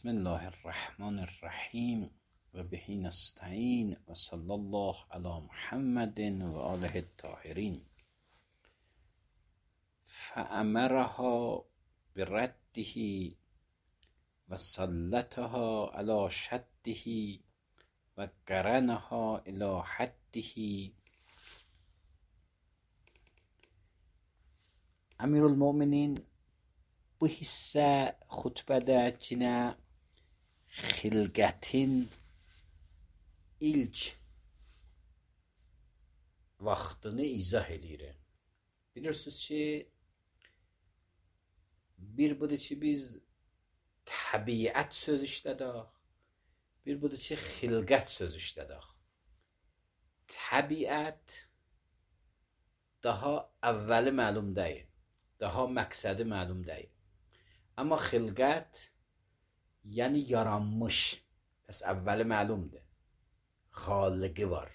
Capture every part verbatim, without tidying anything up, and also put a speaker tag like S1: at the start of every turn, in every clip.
S1: بسم الله الرحمن الرحیم و بهی نستعین و صلی الله علی محمد و آله الطاهرین. فأمرها برده و سلطها علی شده و قرنها الی حده. Emirülmüminin bu hissə xutbədə yenə xilqətin ilk vaxtını izah edir. Bilirsiniz ki, bir budur ki, biz təbiət söz işlədik, bir budur ki, xilqət söz işlədik. Təbiət daha əvvəli məlum deyil, daha məqsədi məlum deyil. Amma xilqət, yəni yaranmış, pəs əvvəli məlumdur, xaliqi var.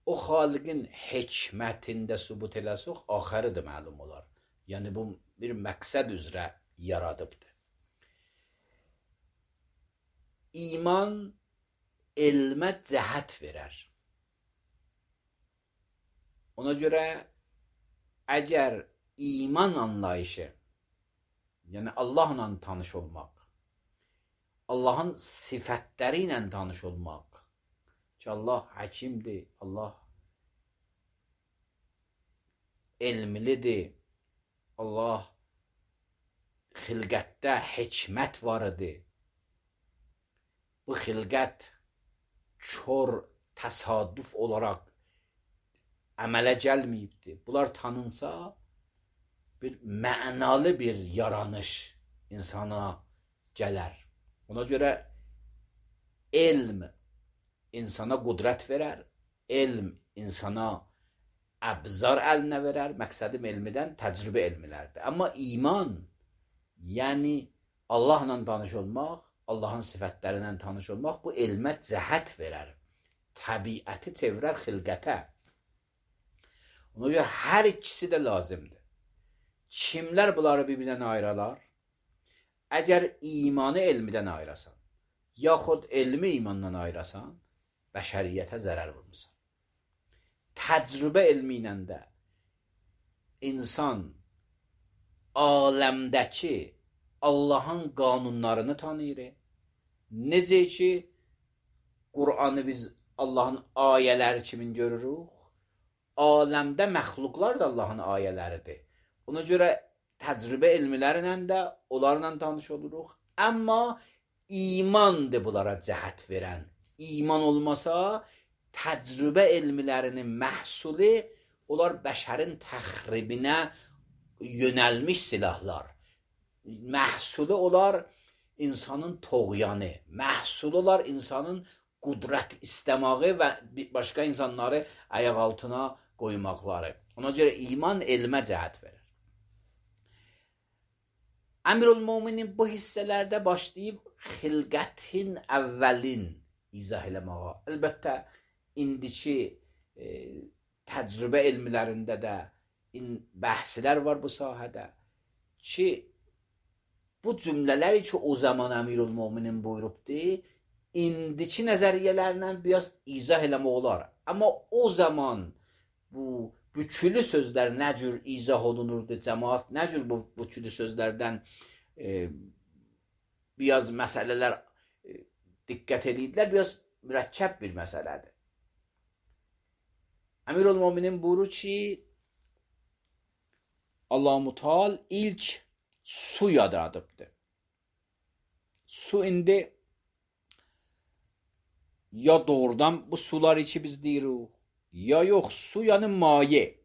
S1: O xaliqin hikmətində sübut eləsək, axırı da məlum olar. Yəni bu bir məqsəd üzrə yaradıbdır. İman elmə cəhət verər. Ona görə əgər iman anlayışı, yəni Allahla tanış olmaq, Allahın sifətləri ilə tanış olmaq, ki Allah həkimdir, Allah elmlidir, Allah xilqətdə hikmət var idi. Bu xilqət kör təsadüf olaraq əmələ gəlməyibdir. Bunlar tanınsa, bir mənalı bir yaranış insana gələr. Ona görə elm insana qudrət verər, elm insana əbzar əlinə verər. Məqsədim elmidən təcrübə elmilərdir. Amma iman, yəni Allahla tanış olmaq, Allahın sifətlərindən tanış olmaq, bu elmə cəhət verər. Təbiəti çevirər xilqətə. Ona görə hər ikisi də lazımdır. Kimlər bunları bir-birindən ayıralar? Əgər imanı elmidən ayırasan, yaxud elmi imandan ayırasan, bəşəriyyətə zərər vurmuşsan. Təcrübə elmi ilə də insan aləmdəki Allahın qanunlarını tanıyır. Necə ki, Qur'anı biz Allahın ayələri kimi görürük, aləmdə məxluqlar da Allahın ayələridir. Ona görə təcrübə elmilərlə də onlarla tanış oluruq. Amma imandır bunlara cəhət verən. İman olmasa, təcrübə elmilərinin məhsulu, onlar bəşərin təxribinə yönəlmiş silahlar. Məhsulu olar insanın toğyanı, məhsulu olar insanın qudrət istəməyi və başqa insanları ayaq altına qoymaqları. Ona görə iman elmə cəhət verir. Əmirülmüminin bu hissələrdə başlayıb xilqətin əvvəlin izah eləməyə. Əlbəttə, indiki e, təcrübə elmlərində də bəhslər var bu sahədə ki, bu cümlələri ki, o zaman Əmirülmüminin buyurubdur, indiki nəzəriyyələrlə biraz izah eləmək olar. Amma o zaman bu bükülü sözlər nə cür izah olunurdu, cəmaat nə cür bu bükülü sözlərdən e, biraz məsələlər e, diqqət edirdilər, biraz mürəkkəb bir məsələdir. Əmirülmüminin buyurur ki, Allah-u Teala ilk su yaradıbdır. Su indi ya doğrudan bu suları ki biz deyirik, ya yox, su yəni maye.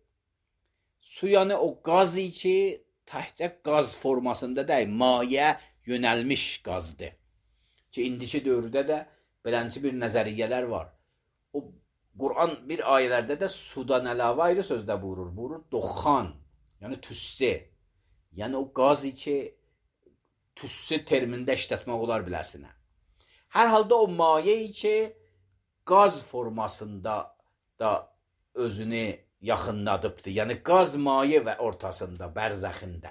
S1: Su yəni o qaz ki, təhcə qaz formasında deyil, maye yönəlmiş qazdır. Ki, indiki dövrdə də belənci bir nəzəriyyələr var. O, Qur'an bir ayələrdə də sudan əlavə ayrı sözdə buyurur. Buyurur, doxan, yəni tüssü. Yəni o qaz ki, tüssü termində işlətmək olar biləsinə. Hər halda o maye ki, qaz formasında da özünü yaxınladıbdır. Yəni qaz maye və ortasında, bərzəxində.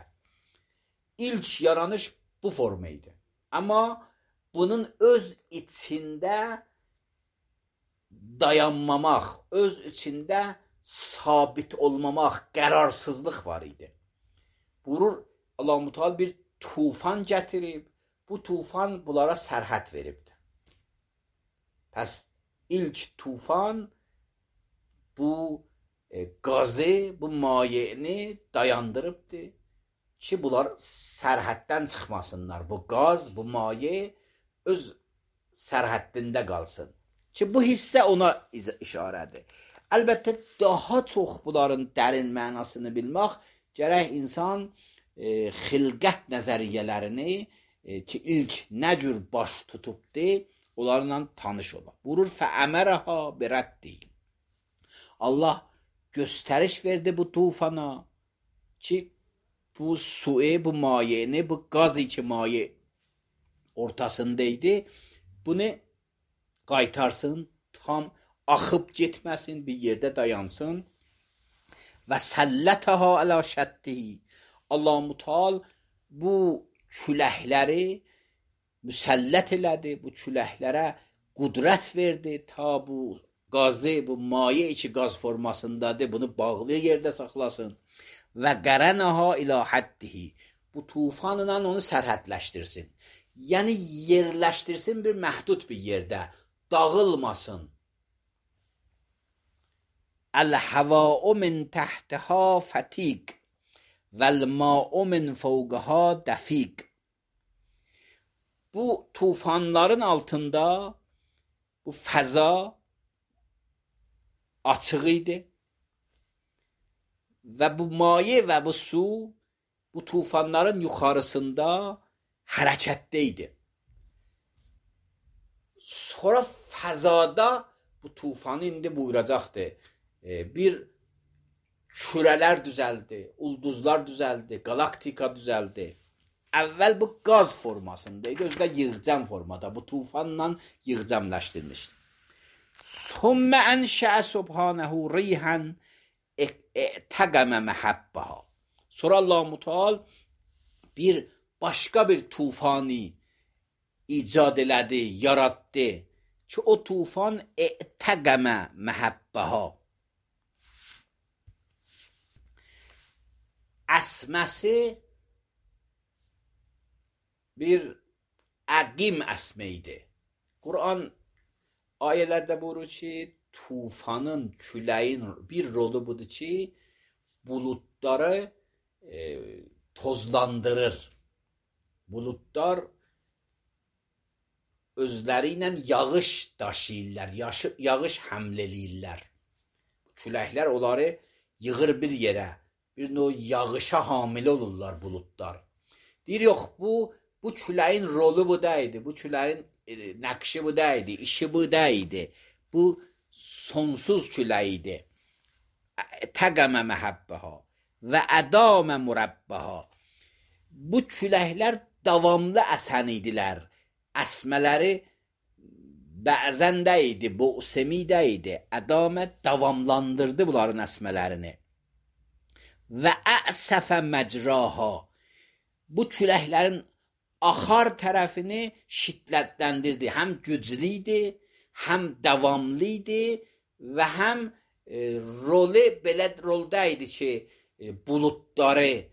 S1: İlk yaranış bu forma idi. Amma bunun öz içində dayanmamaq, öz içində sabit olmamaq, qərarsızlıq var idi. Buyurur, Allah-u Teala bir tufan gətirib, bu tufan bunlara sərhəd veribdir. Pəs ilk tufan bu e, qazı, bu mayeni dayandırıbdır ki, bunlar sərhəddən çıxmasınlar. Bu qaz, bu maye öz sərhəddində qalsın. Ki, bu hissə ona işarədir. Əlbəttə, daha çox bunların dərin mənasını bilmək, gərək insan e, xilqət nəzəriyyələrini e, ki, ilk nə cür baş tutubdur, onlarla tanış ola. Buyurur, fəəmərəha birəddi. Allah göstəriş verdi bu tufana ki, bu suyu, bu mayeni, bu qaz iki maye ortasındaydı. Bunu qaytarsın, tam axıb getməsin, bir yerdə dayansın. Və səllətəha ələ şəddihi. Allah-u Teala bu küləkləri müsəllət elədi, bu küləklərə qudrət verdi, ta bu qazı, bu maye içi qaz formasındadır, bunu bağlı yerdə saxlasın. Və qərənəha ilə həddihi. Bu tufanla onu sərhədləşdirsin. Yəni yerləşdirsin bir məhdud bir yerdə, dağılmasın. Əl-həvâ'u min təhtəhə fətiq vəl-mâ'u min fəvqəhə dəfiq. Bu tufanların altında bu fəza açıq idi və bu maye və bu su bu tufanların yuxarısında hərəkətdə idi. Sonra fəzada bu tufanı indi buyuracaqdır. Bir kürələr düzəldi, ulduzlar düzəldi, galaktika düzəldi. Əvvəl bu qaz formasındaydı, özü də yığcam formada, bu tufanla yığcamləşdirmişdi. Sümmə ənşəə subhanəhu riyhən ə'təqəmə məhəbbəha. Sonra Allah-u Teala bir başqa bir tufanı icad elədi, yaratdı ki, o tufan ə'təqəmə məhəbbəha. Əsməsi bir əqim əsmə idi. Quran ayələrdə buyurur ki, tufanın, küləyin bir rolu budur ki, buludları e, tozlandırır. Buludlar özləri ilə yağış daşıyırlar, yağış həml eləyirlər. Küləklər onları yığır bir yerə, bir növ yağışa hamilə olurlar buludlar. Deyir, yox, bu, bu küləyin rolu bu deyildi, bu küləyin e, nəqşi bu deyildi, işi bu deyildi. Bu sonsuz külək idi. Təqəmə məhəbbəha və ədamə mürəbbəha. Bu küləklər davamlı əsən idilər. Əsmələri bəzən də idi, bo'semi də idi. Ədamə davamlandırdı bunların əsmələrini. Və əsəfə məcraha. Bu küləklərin axar tərəfini şiddətləndirdi. Həm güclü idi, həm davamlı idi və həm e, rolu belə rolda idi ki, e, buludları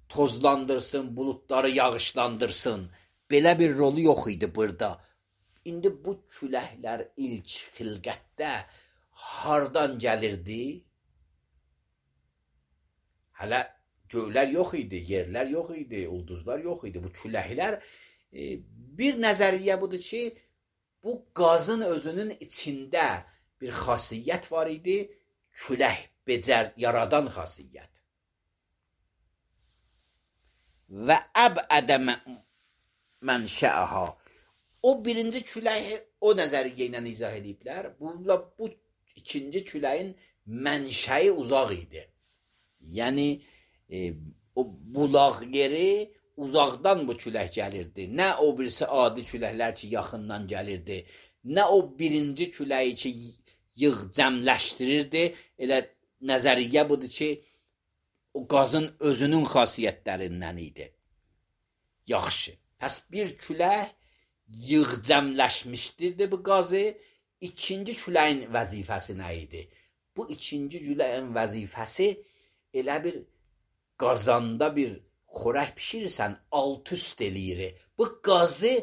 S1: tozlandırsın, buludları yağışlandırsın. Belə bir rolu yox idi burada. İndi bu küləklər ilk xilqətdə hardan gəlirdi? Hələ göylər yox idi, yerlər yox idi, ulduzlar yox idi. Bu küləklər e, bir nəzəriyyə budur ki, bu qazın özünün içində bir xasiyyət var idi, külək becər yaradan xasiyyət. Və əb'ədə mənşəəha. O birinci küləyi o nəzəriyyə ilə izah ediblər. Bununla bu ikinci küləyin mənşəyi uzaq idi. Yəni e, o bulaq yeri uzaqdan bu külək gəlirdi. Nə o birisi adi küləklər ki, yaxından gəlirdi. Nə o birinci küləyi ki, yığcəmləşdirirdi. Elə nəzəriyyə budur ki, o qazın özünün xasiyyətlərindən idi. Yaxşı. Pəs bir külək yığcəmləşmişdir bu qazı. İkinci küləyin vəzifəsi nə idi? Bu ikinci küləyin vəzifəsi elə bir qazanda bir xörək bişirirsən, alt üst eləyir. Bu qazı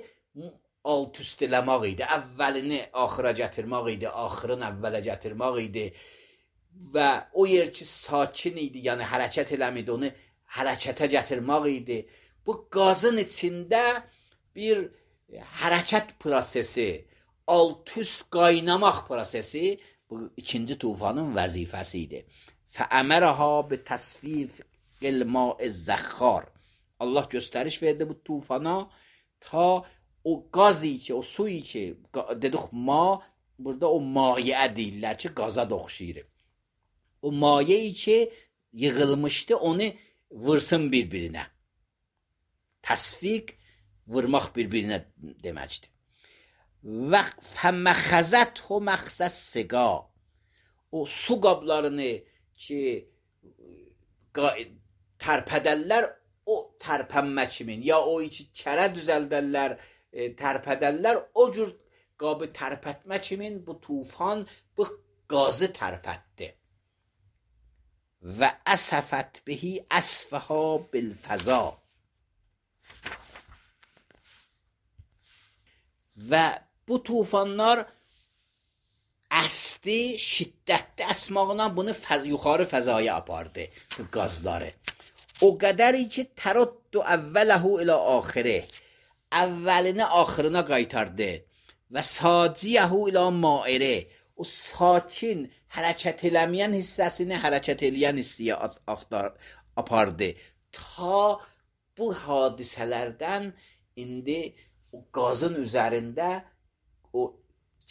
S1: alt üst eləmək idi. Əvvəlini axıra gətirmək idi, axırını əvvələ gətirmək idi. Və o yer ki sakin idi, yəni hərəkət eləmidi, onu hərəkətə gətirmək idi. Bu qazın içində bir hərəkət prosesi, alt üst qaynamaq prosesi bu ikinci tufanın vəzifəsi idi. Fəəmərəha bi təsfiqil ma'iz zəxxar. Allah göstəriş verdi bu tufana ta o qazı ki, o suyu ki, dedik ma, burada o mayə deyirlər ki, qaza da oxşayır. O mayeyi ki yığılmışdı, onu vırsın bir-birinə. Təsfiq, vurmaq bir-birinə deməkdir. Və fəməxəzət o məxsəs siqa. O su qablarını ki tərpədərlər, o tərpənmə kimin, ya o içi kərə düzəldərlər, tərpədərlər, o cür qabı tərpətmə kimin bu tufan bu qazı tərpətdi. Və əsəfət bihi əsfəhə bilfəza. Və bu tufanlar əsdi, şiddətli əsmağına bunu fəz, yuxarı fəzaya apardı bu qazları. O qədəri ki təruddu əvvələhu ilə axiri, əvvəlini axırına qaytardı və saciyəhu ilə mairi, o sakin hərəkət eləməyən hissəsini hərəkət eləyən hissiyə apardı. Ta bu hadisələrdən indi o qazın üzərində o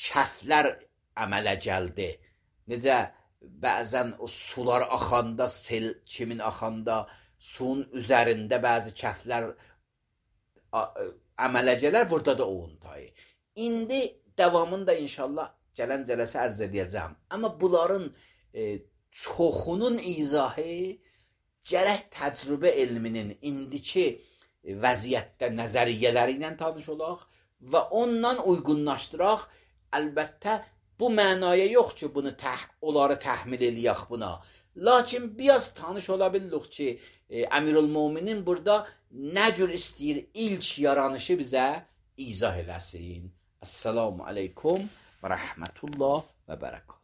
S1: kəflər əmələ gəldi. Necə bəzən o sular axanda, sel kimin axanda, suyun üzərində bəzi kəflər əmələ gələr, burada da o untayı. İndi davamında inşallah gələn cələsə ərz edəcəm. Amma bunların e, çoxunun izahı gərək təcrübə elminin indiki vəziyyətdə nəzəriyyələri ilə tanış olaq və ondan uyğunlaşdıraq. Əlbəttə bu mənaya yox ki, bunu təh, onları təhmil eləyək buna. Lakin biraz tanış ola bilirik ki, e, Əmirül-Möminin burada nə cür istəyir ilk yaranışı bizə izah eləsin. Esselamu aleykum və rəhmətullah və bərəkət.